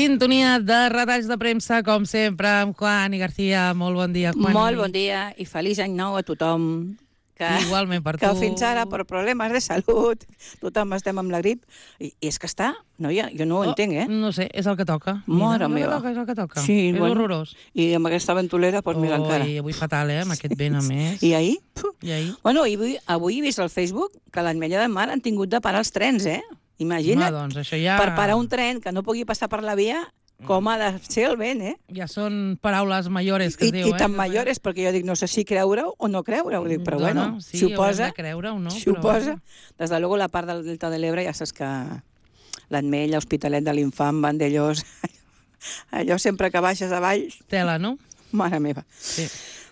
Sintonia de retalls de premsa, com sempre, amb Juan i García. Molt bon dia, Juan. Molt bon dia i feliç any nou a tothom. Igualment per tu. Que fins ara, per problemes de salut, tothom estem amb la grip. I és que està, noia, jo no ho entenc, eh? No sé, és el que toca. Mare meva. És el que toca. Sí, és horrorós. I amb aquesta ventolera, doncs mira encara. I avui fatal, amb aquest vent a més. I ahir? I ahir? Bueno, avui he vist al Facebook que a l'Ametlla de Mar han tingut de parar els trens, eh? Imagina't, doncs això ja... per parar un tren que no pugui passar per la via, com ha de ser el vent, eh? Ja són paraules mayores que es diu, I tan mayores, perquè jo dic, no sé si creure-ho o no creure-ho, dic, però bueno, sí, si ho posa... de creure-ho, no? Si ho posa... Des de luego la part del Delta de l'Ebre ja saps que l'Ametlla, l'Hospitalet de l'Infant, Vandellós... Allò sempre que baixes a avall... Tela, no? Mare meva. Sí.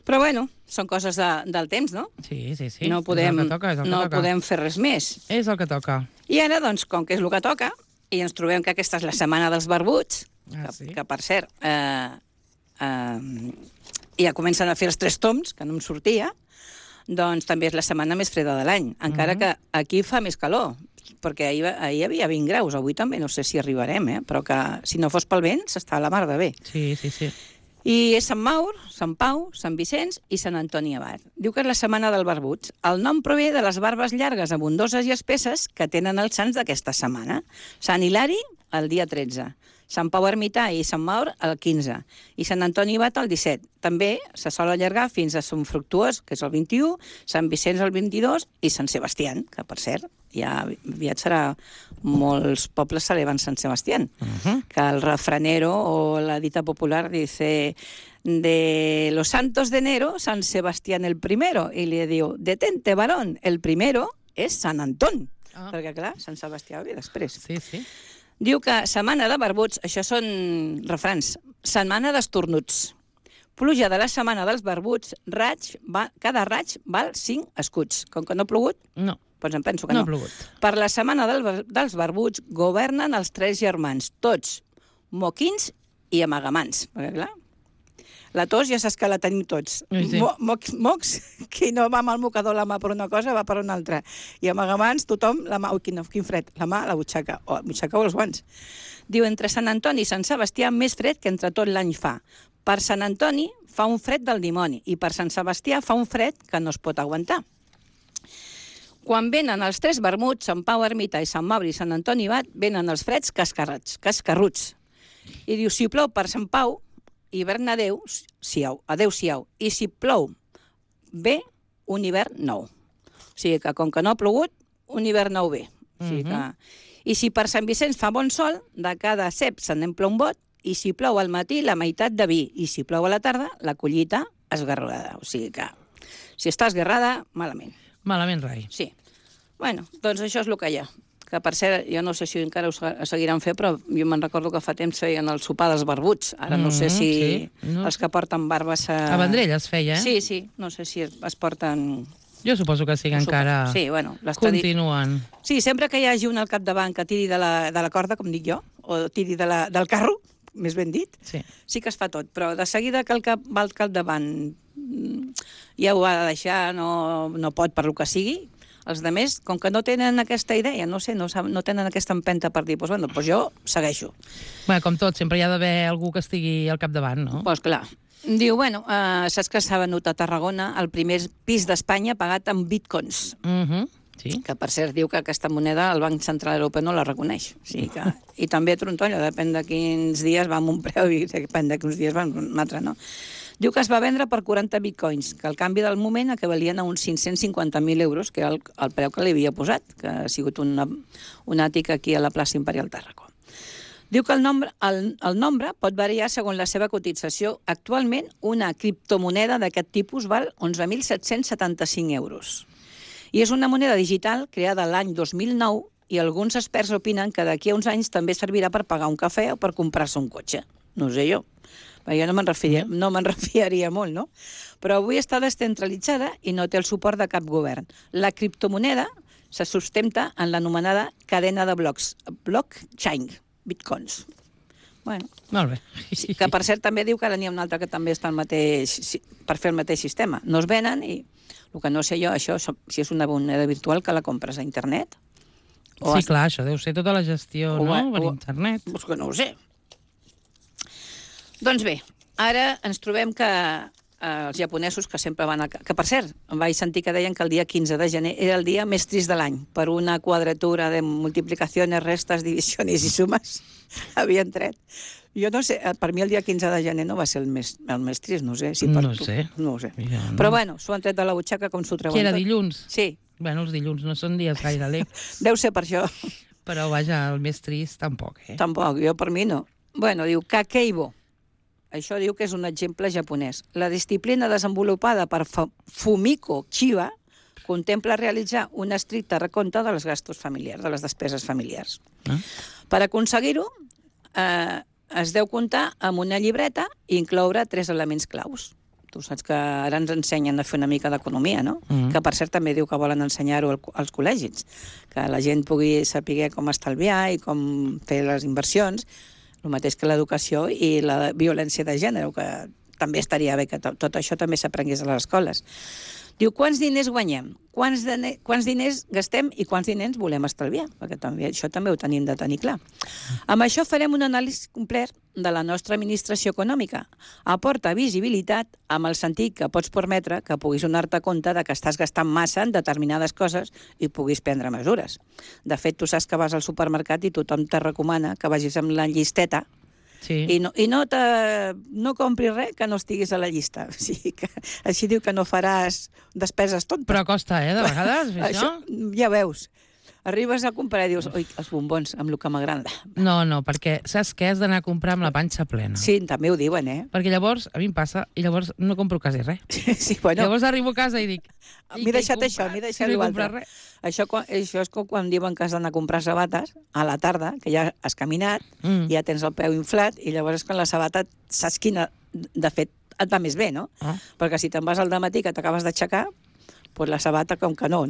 Però bueno, són coses del temps, no? Sí. No podem, és el que toca, és el que toca. Podem fer res més. És el que toca. I ara, doncs, com que és el que toca, i ens trobem que aquesta és la setmana dels barbuts, sí? que per cert, ja comencen a fer els 3 toms, que no em sortia, doncs també és la setmana més freda de l'any, encara que aquí fa més calor, perquè ahir hi havia 20 graus, avui també no sé si arribarem, però que si no fos pel vent s'està a la mar de bé. Sí. I és Sant Maur, Sant Pau, Sant Vicenç i Sant Antoni Abat. Diu que és la setmana del barbut. El nom prové de les barbes llargues, abundoses i espesses que tenen els sants d'aquesta setmana. Sant Hilari, el dia 13. Sant Pau Ermità i Sant Maur, el 15. I Sant Antoni Abat, el 17. També se sol allargar fins a Sant Fructuós, que és el 21, Sant Vicenç el 22 i Sant Sebastián, que per cert, ja aviat serà... Molts pobles celebren Sant Sebastián, que el refranero o la dita popular dice de los santos de enero, San Sebastián el primero, i li diu, detente, varón, el primero és Sant Anton, perquè clar, Sant Sebastià ve després. Sí. Diu que setmana de barbuts, això són refrans, setmana d'estornuts. Pluja de la setmana dels barbuts, cada raig val 5 escuts. Com que no ha plogut? No. Doncs em penso que no. No ha plogut. Per la setmana dels barbuts governen els 3 germans, tots moquins i amagamans. Perquè, clar, la tos ja saps que la tenim tots. Sí. Mocs, qui no va amb el mocador la mà per una cosa, va per una altra. I amagamans, tothom, la mà... Ui, quin fred. La mà a la butxaca. O els guants. Diu, entre Sant Antoni i Sant Sebastià, més fred que entre tot l'any fa. Per Sant Antoni fa un fred del dimoni i per Sant Sebastià fa un fred que no es pot aguantar. Quan venen els 3 vermuts, Sant Pau Ermità i Sant Mauri i Sant Antoni Abat, venen els freds cascarruts. I diu, si plou per Sant Pau, hivern adeu-siau. I si plou bé, un hivern nou. O sigui que, com que no ha plogut, un hivern nou ve. O sigui que... I si per Sant Vicenç fa bon sol, de cada cep se n'empla un bot, i si plou al matí, la meitat de vi. I si plou a la tarda, la collita esgarrada. O sigui que, si està esgarrada, malament. Malament, rai. Sí. Bueno, doncs això és el que hi ha. Que, per cert, jo no sé si encara ho seguiran fent, però jo me'n recordo que fa temps feien el sopar dels barbuts. Ara no sé si els que porten barbes... A Vendrell es feia, eh? Sí. No sé si es porten... Jo suposo que sí, que encara continuen. Sí, sempre que hi hagi un al capdavant que tiri de la corda, com dic jo, o tiri del carro, més ben dit, sí que es fa tot. Però de seguida que el cap va al capdavant ja ho ha de deixar, no pot per lo que sigui, els altres, com que no tenen aquesta idea, no sé, no tenen aquesta empenta per dir, doncs jo segueixo. Bé, com tot, sempre hi ha d'haver algú que estigui al capdavant, no? Doncs clar. Diu, saps que s'ha venut a Tarragona el primer pis d'Espanya pagat amb bitcoins. Sí. Que, per cert, diu que aquesta moneda el Banc Central Europeu no la reconeix. O sigui que... I també a Trontolla, depèn de quins dies va amb un preu i depèn de quins dies va amb un altre, no? Diu que es va vendre per 40 bitcoins, que al canvi del moment equivalien a uns 550.000 euros, que era el preu que li havia posat, que ha sigut un àtic aquí a la plaça Imperial Tàrraco. Diu que el nombre pot variar segons la seva cotització. Actualment, una criptomoneda d'aquest tipus val 11.775 euros. I és una moneda digital creada l'any 2009 i alguns experts opinen que d'aquí a uns anys també servirà per pagar un cafè o per comprar-se un cotxe. No ho sé jo. Jo no me'n refiaria molt, no? Però avui està descentralitzada i no té el suport de cap govern. La criptomoneda se sustenta en l'anomenada cadena de blocs, blockchain, bitcoins. Bueno, molt bé. Que per cert també diu que ara n'hi ha un altre que també està per fer el mateix sistema. No es venen i el que no sé jo, això, si és una moneda virtual que la compres a internet. Sí, clar, això deu ser tota la gestió, no?, per internet. Doncs que no ho sé. Doncs bé, ara ens trobem que els japonesos que sempre van... Que, per cert, em vaig sentir que deien que el dia 15 de gener era el dia més trist de l'any, per una quadratura de multiplicacions, restes, divisions i sumes havien tret. Jo no sé, per mi el dia 15 de gener no va ser el més trist, no sé. Si per No tu. sé. No ho sé. Ja, no. Però bueno, s'ho han tret de la butxaca com s'ho treuen Que era tot. dilluns? Sí. Bueno, els dilluns no són dies gaire alegres. Deu ser per això. Però vaja, el més trist tampoc, eh? Tampoc, jo per mi no. Bueno, diu Kakeibo. Això diu que és un exemple japonès. La disciplina desenvolupada per Fumiko Chiba contempla realitzar un estricte recompte de les gastos familiars, de les despeses familiars. Per aconseguir-ho, es deu comptar amb una llibreta i incloure 3 elements claus. Tu saps que ara ens ensenyen a fer una mica d'economia, no? Que, per cert, també diu que volen ensenyar-ho als col·legis, que la gent pugui saber com estalviar i com fer les inversions, el mateix que l'educació i la violència de gènere, que també estaria bé que tot això també s'aprengués a les escoles. Diu, quants diners guanyem? Quants diners gastem i quants diners volem estalviar? Perquè això també ho tenim de tenir clar. Amb això farem un anàlisi complet de la nostra administració econòmica. Aporta visibilitat amb el sentit que pots permetre que puguis donar-te compte de que estàs gastant massa en determinades coses i puguis prendre mesures. De fet, tu saps que vas al supermercat i tothom te recomana que vagis amb la llisteta i no compris res que no estiguis a la llista. O sigui que, així diu que no faràs despeses tontes. Però costa, de vegades, fer això? Ja veus. Arribes a comprar i dius, oi, els bombons, amb el que m'agrada. No, perquè saps què? Has d'anar a comprar amb la panxa plena. Sí, també ho diuen, Perquè llavors, a mi em passa, i llavors no compro quasi res. Sí, bueno. Llavors arribo a casa i dic... M'he deixat això, m'he deixat l'altre. Això és com quan diuen que has d'anar a comprar sabates a la tarda, que ja has caminat, ja tens el peu inflat, i llavors és quan la sabata saps quina, de fet, et va més bé, no? Perquè si te'n vas al dematí que t'acabes d'aixecar, doncs la sabata com que no?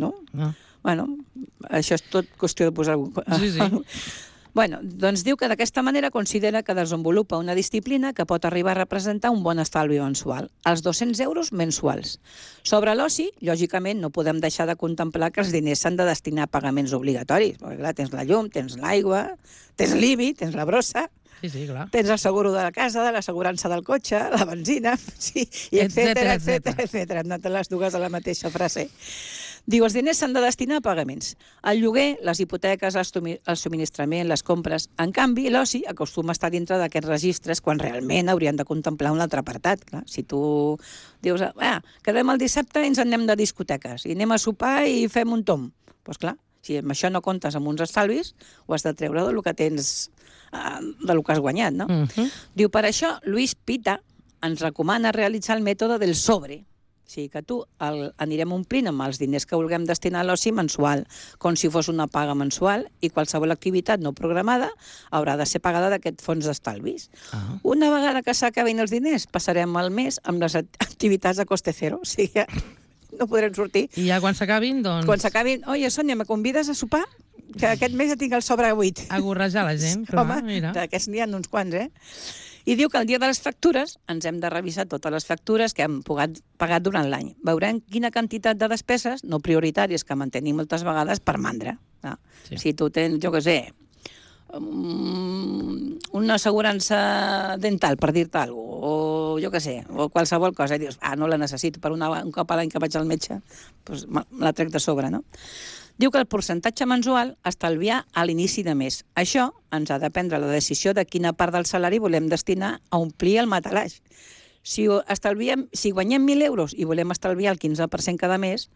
Bueno, això és tot qüestió de posar... Sí. Bueno, doncs diu que d'aquesta manera considera que desenvolupa una disciplina que pot arribar a representar un bon estalvi mensual, els 200 euros mensuals. Sobre l'oci, lògicament, no podem deixar de contemplar que els diners s'han de destinar a pagaments obligatoris, perquè clar, tens la llum, tens l'aigua, tens l'IBI, tens la brossa, Sí, clar. tens el seguro de la casa, de l'assegurança del cotxe, la benzina, sí, i etcètera. Hem anat les dues a la mateixa frase. Diu, els diners s'han de destinar a pagaments. El lloguer, les hipoteques, el subministrament, les compres. En canvi, l'oci acostuma a estar dintre d'aquests registres quan realment haurien de contemplar un altre apartat. Clar, si tu dius, quedem el dissabte i ens anem de discoteques, i anem a sopar i fem un tom. Doncs clar, si amb això no comptes amb uns estalvis, ho has de treure del que tens, del que has guanyat, no? Diu, per això, Luis Pita ens recomana realitzar el mètode del sobre. O sigui que tu anirem omplint amb els diners que vulguem destinar a l'oci mensual, com si fos una paga mensual, i qualsevol activitat no programada haurà de ser pagada d'aquest fons d'estalvis. Una vegada que s'acabin els diners, passarem el mes amb les activitats a coste cero. O sigui que no podrem sortir. I ja quan s'acabin, doncs... Quan s'acabin, oye, Sònia, me convides a sopar? Que aquest mes ja tinc el sobre buit. A gorrejar la gent, clar, home, mira. D'aquests n'hi ha uns quants, I diu que el dia de les factures ens hem de revisar totes les factures que hem pagat durant l'any. Veurem quina quantitat de despeses no prioritàries que mantenim moltes vegades per mandra. Sí. Si tu tens, jo què sé, una assegurança dental, per dir-te alguna cosa, o jo què sé, o qualsevol cosa, i dius, no la necessito, per un cop a l'any que vaig al metge, doncs me la trec de sobre, no? Diu que el percentatge mensual estalviar a l'inici de mes. Això ens ha de prendre la decisió de quina part del salari volem destinar a omplir el matalaix. Si guanyem 1.000 euros i volem estalviar el 15% cada mes,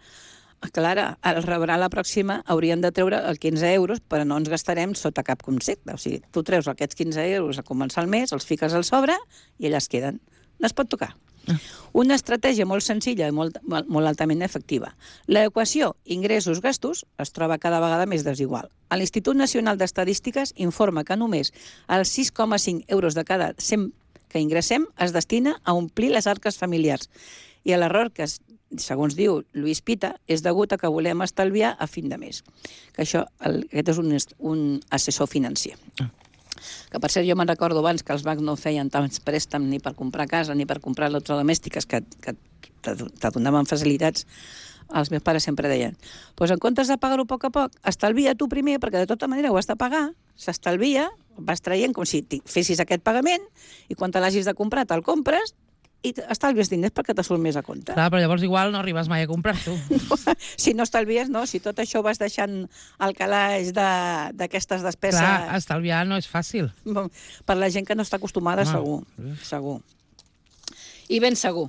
clar, al rebre la pròxima hauríem de treure els 15 euros, però no ens gastarem sota cap concepte. O sigui, tu treus aquests 15 euros a començar el mes, els fiques al sobre i allà es queden. No es pot tocar. Una estratègia molt senzilla i molt altament efectiva. L'equació ingressos-gastos es troba cada vegada més desigual. L'Institut Nacional d'Estadístiques informa que només els 6,5 euros de cada 100 que ingressem es destina a omplir les arques familiars. I l'error que, segons diu Luis Pita, és degut a que volem estalviar a fin de mes. Que aquest és un assessor financer. Que, per cert, jo me'n recordo abans que els bancs no feien tants préstecs ni per comprar casa ni per comprar electrodomèstiques que te donaven facilitats. Els meus pares sempre deien, doncs en comptes de pagar-ho a poc, estalvia tu primer, perquè de tota manera ho has de pagar, s'estalvia, vas traient com si fessis aquest pagament i quan te l'hagis de comprar te'l compres i estalvies diners perquè te surt més a compte. Clar, però llavors igual no arribes mai a comprar-t'ho. Si no estalvies, no. Si tot això vas deixant al calaix d'aquestes despeses... Clar, estalviar no és fàcil. Per la gent que no està acostumada, segur. I ben segur.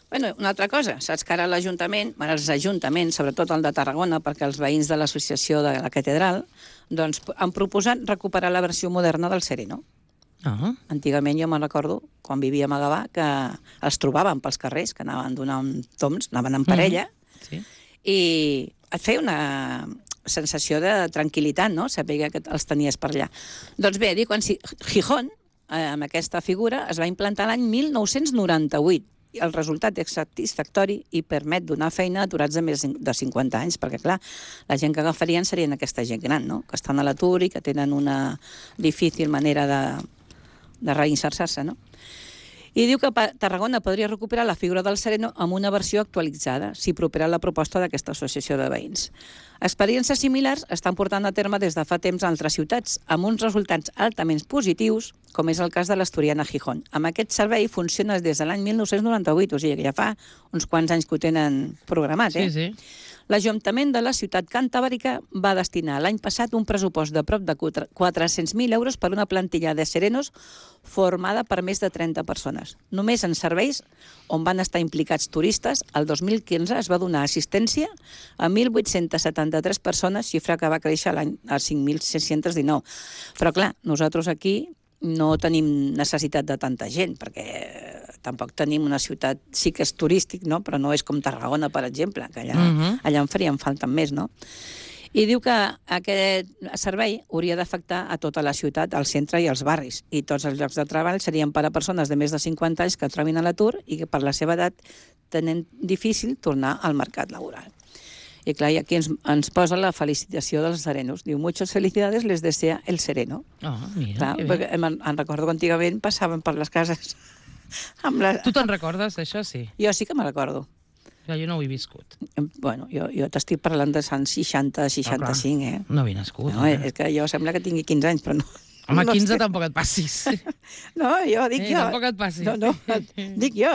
Bueno, una altra cosa, saps que ara l'Ajuntament, els ajuntaments, sobretot el de Tarragona, perquè els veïns de l'associació de la catedral, doncs han proposat recuperar la versió moderna del Sereno. Antigament jo me'n recordo, quan vivíem a Gavà, que els trobàvem pels carrers, que anaven donant toms, anaven en parella, i et feia una sensació de tranquil·litat, no?, saber que els tenies per allà. Doncs bé, dic, quan Gijón, amb aquesta figura, es va implantar l'any 1998, i el resultat és satisfactori i permet donar feina a aturats de més de 50 anys, perquè, clar, la gent que agafarien serien aquesta gent gran, no?, que estan a l'atur i que tenen una difícil manera de reinserir-se, no? I diu que Tarragona podria recuperar la figura del Sereno amb una versió actualitzada, si propera la proposta d'aquesta associació de veïns. Experiències similars estan portant a terme des de fa temps a altres ciutats, amb uns resultats altament positius, com és el cas de l'Asturiana Gijón. Amb aquest servei funciona des de l'any 1998, o sigui que ja fa uns quants anys que ho tenen programat, Sí. L'Ajuntament de la ciutat cantàbrica va destinar l'any passat un pressupost de prop de 400.000 euros per una plantilla de serenos formada per més de 30 persones. Només en serveis on van estar implicats turistes, el 2015 es va donar assistència a 1.873 persones, xifra que va créixer l'any a 5.619. Però clar, nosaltres aquí no tenim necessitat de tanta gent, perquè tampoc tenim una ciutat, sí que és turístic, no?, però no és com Tarragona, per exemple, que allà en farien falta més, no? I diu que aquest servei hauria d'afectar a tota la ciutat, al centre i als barris, i tots els llocs de treball serien per a persones de més de 50 anys que trobin a l'atur i que per la seva edat tenen difícil tornar al mercat laboral. I clar, i aquí ens posa la felicitació dels serenos. Diu, muchas felicidades les desea el sereno. Mira, clar, perquè em recordo que antigament passaven per les cases amb la... Tu te'n recordes d'això, sí? Jo sí que me recordo. Jo no ho he viscut. Bueno, jo t'estic parlant de anys 60, 65, No havia nascut. No, és que jo sembla que tingui 15 anys, però no. Home, 15 tampoc et passis. No, jo dic jo. Tampoc et passis. No, dic jo,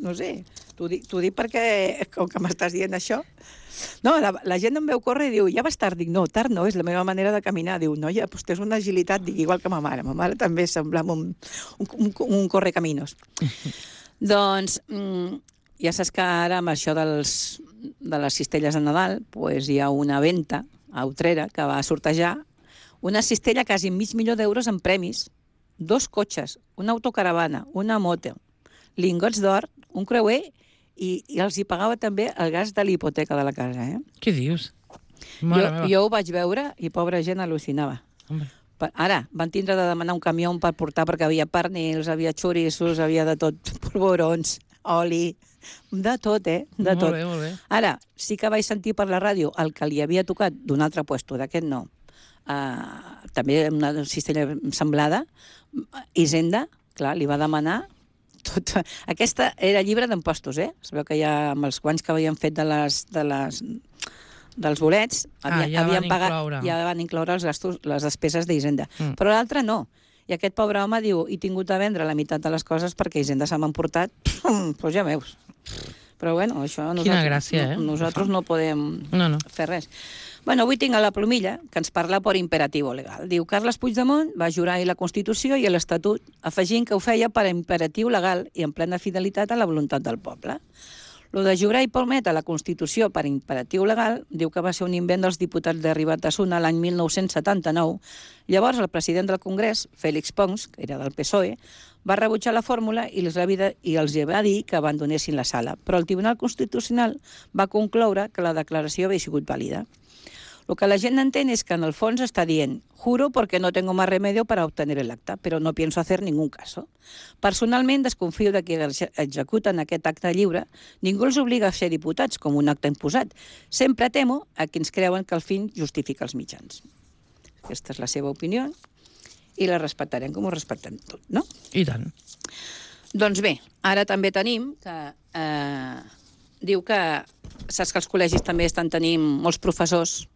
no sé. T'ho dic perquè, com que m'estàs dient això... No, la gent em veu córrer i diu, ja vas tard. Dic, no, tard no, és la meva manera de caminar. Diu, noia, doncs tens una agilitat, dic, igual que ma mare. Ma mare també semblava un correcaminos. Doncs ja saps que ara amb això de les cistelles de Nadal pues hi ha una venta a Utrera que va sortejar una cistella quasi $500.000 en premis, 2 cotxes, una autocaravana, una moto, lingots d'or, un creuer i els hi pagava també el gas de l'hipoteca de la casa. Què dius? Jo ho vaig veure i pobra gent al·lucinava. Ara, van tindre de demanar un camió per portar perquè havia pernils, havia xorissos, havia de tot, polvorons, oli, de tot, De tot. Molt bé. Ara, sí que vaig sentir per la ràdio el que li havia tocat d'un altre puesto, d'aquest no. També una cistella semblada, Hisenda, clar, li va demanar tot. Aquesta era llibre d'impostos, Es veu que ja amb els guanys que havien fet dels bolets ja van incloure els gastos, les despeses d'Hisenda. Però l'altre no. I aquest pobre home diu, he tingut de vendre la meitat de les coses perquè Hisenda se m'ha emportat, doncs ja veus. Però bueno, això nosaltres no podem fer res. Bueno, avui tinc a la plomilla que ens parla per imperatiu legal. Diu, Carles Puigdemont va jurar ahir la Constitució i l'Estatut, afegint que ho feia per imperatiu legal i en plena fidelitat a la voluntat del poble. Lo de jurar i prometre la Constitució per imperatiu legal diu que va ser un invent dels diputats de Ribatasuna l'any 1979. Llavors, el president del Congrés, Félix Pons, que era del PSOE, va rebutjar la fórmula i els va dir que abandonessin la sala. Però el Tribunal Constitucional va concloure que la declaració havia sigut vàlida. Lo que la gent entén es que en el fons està dient juro porque no tengo más remedio para obtener el acta, pero no pienso hacer ningún caso. Personalment desconfio de que executen aquest acte lliure. Ningú els obliga a ser diputats com un acte imposat. Sempre temo a qui ens creuen que el fin justifica els mitjans. Aquesta és la seva opinió i la respectarem com ho respectem tot, no? I tant. Doncs bé, ara també tenim que... diu que saps que els col·legis també estan tenint molts professors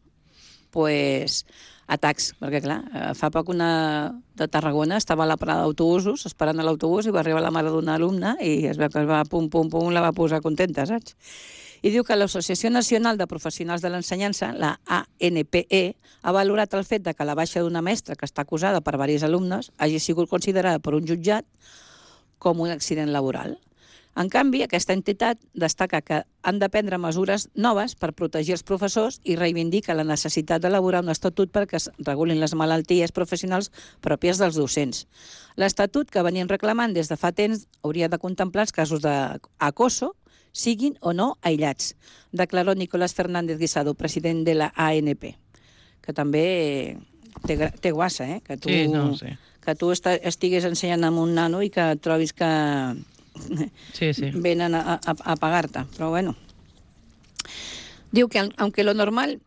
pues, atacs, perquè clar, fa poc una de Tarragona estava a la parada d'autobusos esperant a l'autobús i va arribar la mare d'una alumna i es veu que es va pum, pum, pum, la va posar contenta, saps? I diu que l'Associació Nacional de Professionals de l'Ensenyança, la ANPE, ha valorat el fet de que la baixa d'una mestra que està acusada per diversos alumnes hagi sigut considerada per un jutjat com un accident laboral. En canvi, aquesta entitat destaca que han de prendre mesures noves per protegir els professors i reivindica la necessitat d'elaborar un estatut perquè es regulin les malalties professionals pròpies dels docents. L'estatut que venien reclamant des de fa temps hauria de contemplar els casos d'acoso, siguin o no aïllats, declaró Nicolás Fernández Guisado, president de la ANP, que també té guassa, que tu, Sí, no, sí. que tu estigues ensenyant amb un nano i que trobis que Sí, sí. venen a pagar-te, però bueno. Diu que aunque lo normal...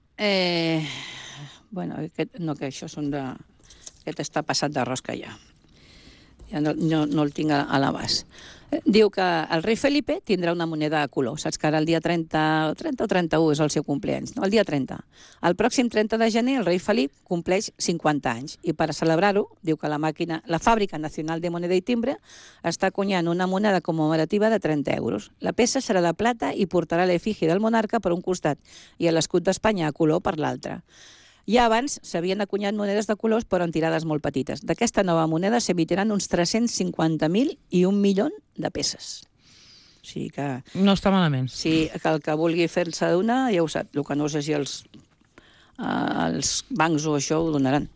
bueno, no, que això són de... Aquest està passat de rosca ja. Ja no el tinc a l'abast. Diu que el rei Felipe tindrà una moneda de color. Saps que ara el dia 30 o 31 és el seu cumpleaños, no? El dia 30. El pròxim 30 de gener el rei Felip compleix 50 anys i per a celebrar-ho, diu que la Fàbrica Nacional de Moneda i Timbre està acunyant una moneda commemorativa de 30 euros. La peça serà de plata i portarà l'efígie del monarca per un costat i l'escut d'Espanya a color per l'altre. Ja abans s'havien acunyat monedes de colors, però en tirades molt petites. D'aquesta nova moneda s'emitiran uns 350.000 i 1 milió de peces. O sigui que... No està malament. Sí, que el que vulgui fer-se d'una, ja ho sap. El que no sé si els bancs o això ho donaran.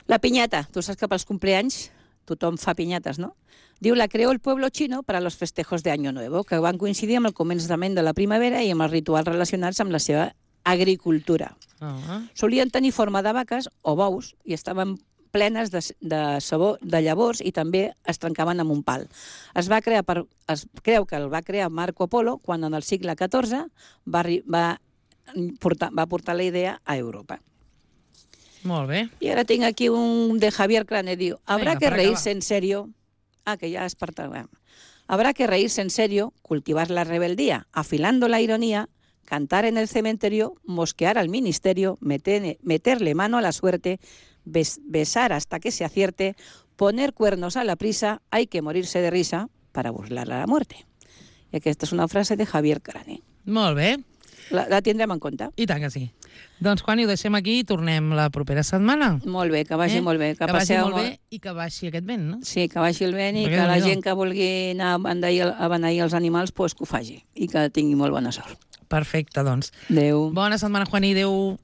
La piñata. Tu saps que pels cumpleaños tothom fa piñates, no? Diu, la creó el pueblo chino para los festejos de Año Nuevo, que van coincidir amb el començament de la primavera i amb els rituals relacionats amb la seva agricultura. Solien tenir forma de vaques o bous i estaven plenes de sabó de llavors i també es trencaven amb un pal. Es creu que el va crear Marco Polo quan en el segle XIV va portar la idea a Europa. Molt bé. I ara tinc aquí un de Javier Crane, diu, habrá que reírse en serio... que ya es parte... Habrá que reírse en serio, cultivar la rebeldía, afilando la ironía, cantar en el cementerio, mosquear al ministerio, meterle mano a la suerte, besar hasta que se acierte, poner cuernos a la prisa, hay que morirse de risa para burlar a la muerte. I aquesta és una frase de Javier Crane. Molt bé. La tindrem en compte. I tant que sí. Doncs, Juani, ho deixem aquí i tornem la propera setmana. Molt bé, que vagi molt bé. Que vagi molt bé i que baixi aquest vent, no? Sí, que baixi el vent i que la gent que vulgui anar a beneir els animals, que ho faci i que tingui molt bona sort. Perfecte, doncs. Adéu. Bona setmana, Juani. Adéu.